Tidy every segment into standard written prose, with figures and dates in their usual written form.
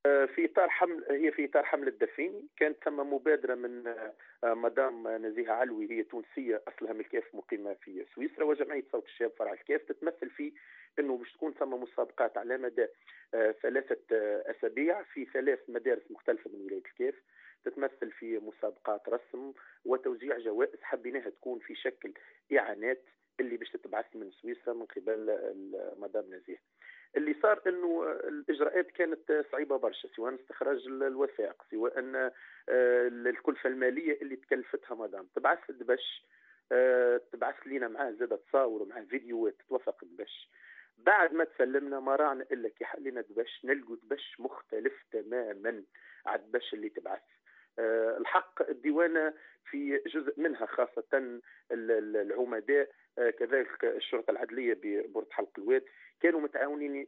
في اطار حمل هي في اطار حمله دفيني، كانت ثم مبادرة من مدام نزيهة علوي، هي تونسية اصلها من الكاف مقيمة في سويسرا، وجمعية صوت الشاب فرع الكاف، تتمثل في انه باش تكون ثم مسابقات على مدى 3 اسابيع في 3 مدارس مختلفة من ولاية الكاف، تتمثل في مسابقات رسم وتوزيع جوائز حبيناها تكون في شكل اعانات اللي باش تتبعث من سويسرا من قبل مدام نزيه. اللي صار انه الاجراءات كانت صعيبة برشا، سواء استخراج الوثائق، سواء الكلفة المالية اللي تكلفتها مدام. تبعث الدبش، تبعث لينا معاه زاد تصاور ومعاه فيديوهات تتوثق الدبش. بعد ما تسلمنا ما راعنا الا كي حلينا دبش نلقوا دبش مختلف تماما على الدبش اللي تبعث. الحق الديوانه في جزء منها خاصة العمداء، كذلك الشرطة العدليه ببرد حلق الواد، كانوا متعاونين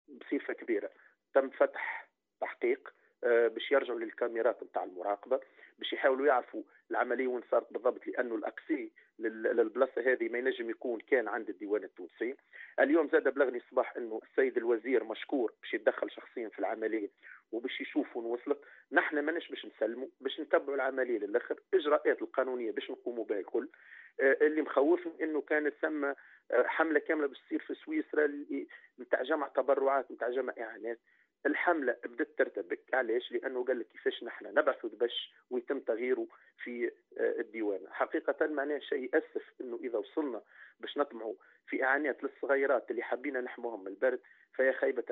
بصفة كبيرة. تم فتح تحقيق باش يرجعوا للكاميرات نتاع المراقبة باش يحاولوا يعرفوا العملية وين صارت بالضبط، لانه ال accès للبلاصه هذه ما ينجم يكون كان عند الديوان التونسي. اليوم زاد بلغني الصباح انه السيد الوزير مشكور باش يتدخل شخصيا في العملية وباش يشوف وين وصلت. نحن ماناش باش نسلموا، باش نتبعوا العملية للاخر، اجراءات القانونية باش نقوموا بها الكل. اللي مخوفني انه كانت ثم حمله كاملة باش تصير في سويسرا نتاع جمع تبرعات، نتاع جمع اعانات. الحملة بدات ترتبك، علاش؟ لانه قال لك كيفاش نحن نبعثوا دبش ويتم تغييره في الديوان. حقيقة معناه شيء ياسف انه اذا وصلنا باش نطمعوا في اعانات للصغيرات اللي حابين نحموهم من البرد فهي خيبه.